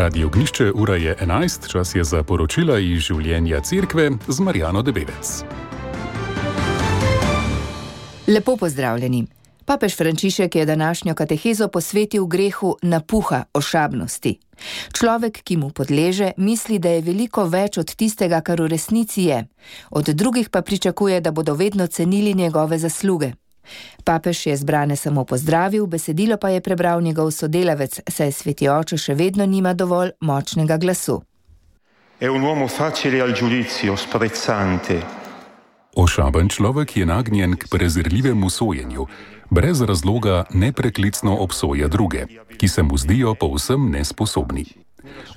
Radio Ognjišče, ura je 11, čas je za poročila iz življenja cerkve z Marjano Debevec. Lepo pozdravljeni. Papež Frančišek je današnjo katehezo posvetil grehu napuha, ošabnosti. Človek, ki mu podleže, misli, da je veliko več od tistega, kar v resnici je. Od drugih pa pričakuje, da bodo vedno cenili njegove zasluge. Papež je zbrane samo pozdravil, besedilo pa je prebral njegov sodelavec, saj sveti oče še vedno nima dovolj močnega glasu. È un uomo facile al giudizio, sprezzante. Ošaben človek je nagnjen k prezirljivemu sojenju, brez razloga nepreklicno obsoja druge, ki se mu zdijo povsem nesposobni.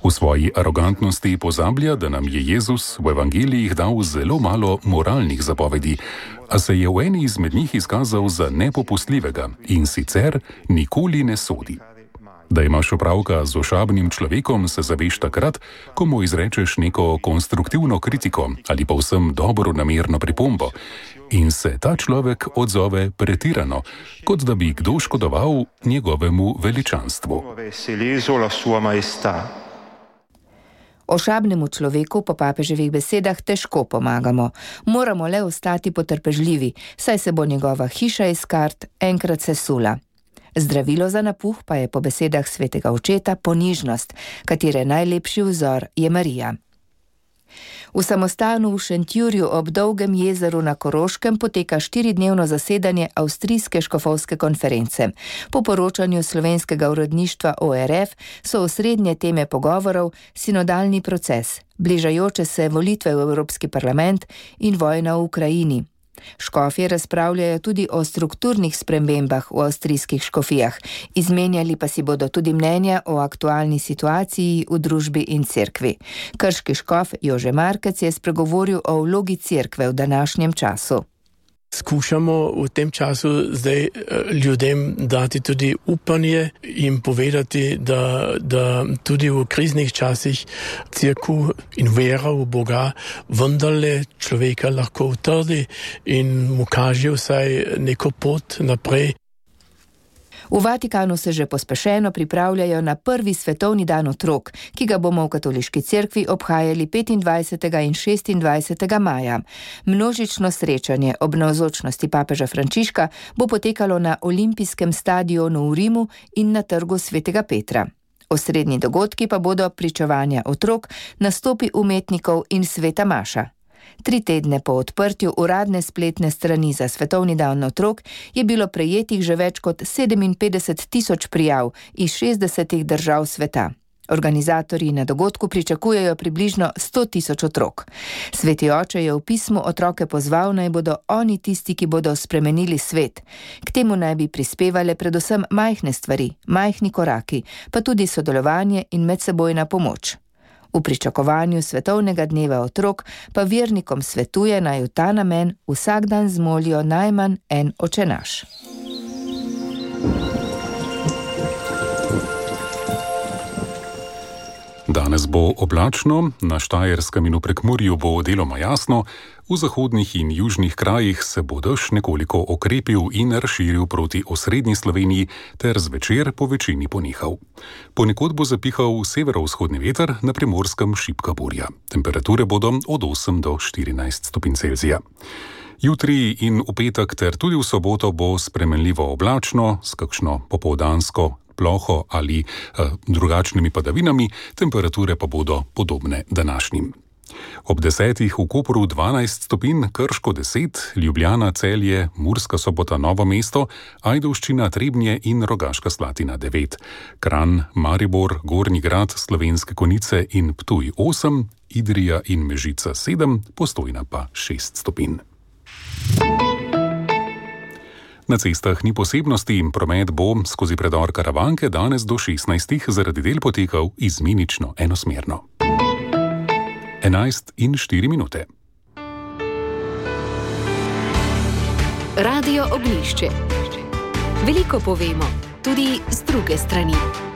V svoji arogantnosti pozablja, da nam je Jezus v evangelijih dal zelo malo moralnih zapovedi, a se je v eni izmed njih izkazal za nepopustljivega in sicer nikoli ne sodi. Da imaš opravka z ošabnim človekom, se zaveš takrat, ko mu izrečeš neko konstruktivno kritiko ali pa vsem dobronamerno pripombo in se ta človek odzove pretirano, kot da bi kdo škodoval njegovemu veličanstvu. Ošabnemu človeku po papeževih besedah težko pomagamo. Moramo le ostati potrpežljivi, saj se bo njegova hiša iz kart enkrat sesula. Zdravilo za napuh pa je po besedah svetega očeta ponižnost, katere najlepši vzor je Marija. V samostanu v Šentjurju ob Dolgem jezeru na Koroškem poteka 4-dnevno zasedanje Avstrijske škofovske konference. Po poročanju slovenskega uredništva ORF so osrednje teme pogovorov sinodalni proces, bližajoče se volitve v Evropski parlament in vojna v Ukrajini. Škofje razpravljajo tudi o strukturnih spremembah v avstrijskih škofijah, izmenjali pa si bodo tudi mnenja o aktualni situaciji v družbi in cerkvi. Krški škof Jože Markec je spregovoril o vlogi cerkve v današnjem času. Skušamo v tem času zdaj ljudem dati tudi upanje in povedati, da tudi v kriznih časih cerkev in vera v Boga vendarle človeka lahko utrdi in mu kaže vsaj neko pot naprej. V Vatikanu se že pospešeno pripravljajo na prvi svetovni dan otrok, ki ga bomo v katoliški cerkvi obhajali 25. in 26. maja. Množično srečanje ob navzočnosti papeža Frančiška bo potekalo na olimpijskem stadionu v Rimu in na trgu svetega Petra. Osrednji dogodki pa bodo pričevanja otrok, nastopi umetnikov in sveta maša. 3 tedne po odprtju uradne spletne strani za svetovni dan otrok je bilo prejetih že več kot 57.000 prijav iz 60 držav sveta. Organizatorji na dogodku pričakujejo približno 100.000 otrok. Sveti oče je v pismu otroke pozval, naj bodo oni tisti, ki bodo spremenili svet. K temu naj bi prispevale predvsem majhne stvari, majhni koraki, pa tudi sodelovanje in medsebojna pomoč. V pričakovanju svetovnega dneva otrok pa vernikom svetuje, naj v ta namen vsak dan zmolijo najmanj en očenaš. Danes bo oblačno, na Štajerskem in v Prekmurju bo deloma jasno, v zahodnih in južnih krajih se bo dež nekoliko okrepil in razširil proti osrednji Sloveniji ter zvečer po večini ponehal. Ponekod bo zapihal severovzhodni veter, na Primorskem šibka burja. Temperature bodo od 8 do 14 stopinj Celzija. Jutri in v petek ter tudi v soboto bo spremenljivo oblačno, s kakšno popoldansko ploho ali drugačnimi padavinami, temperature pa bodo podobne današnjim. Ob 10 v Kopru 12 stopinj, Krško 10, Ljubljana, Celje, Murska Sobota, Novo mesto, Ajdovščina, Trebnje in Rogaška Slatina 9, Kranj, Maribor, Gornji Grad, Slovenske Konjice in Ptuj 8, Idrija in Mežica 7, Postojna pa 6 stopinj. Na cestah ni posebnosti in promet bo skozi predor Karavanke danes do 16 zaradi del potekal izmenično enosmerno. 11:04. Radio Ognjišče. Veliko povemo, tudi z druge strani.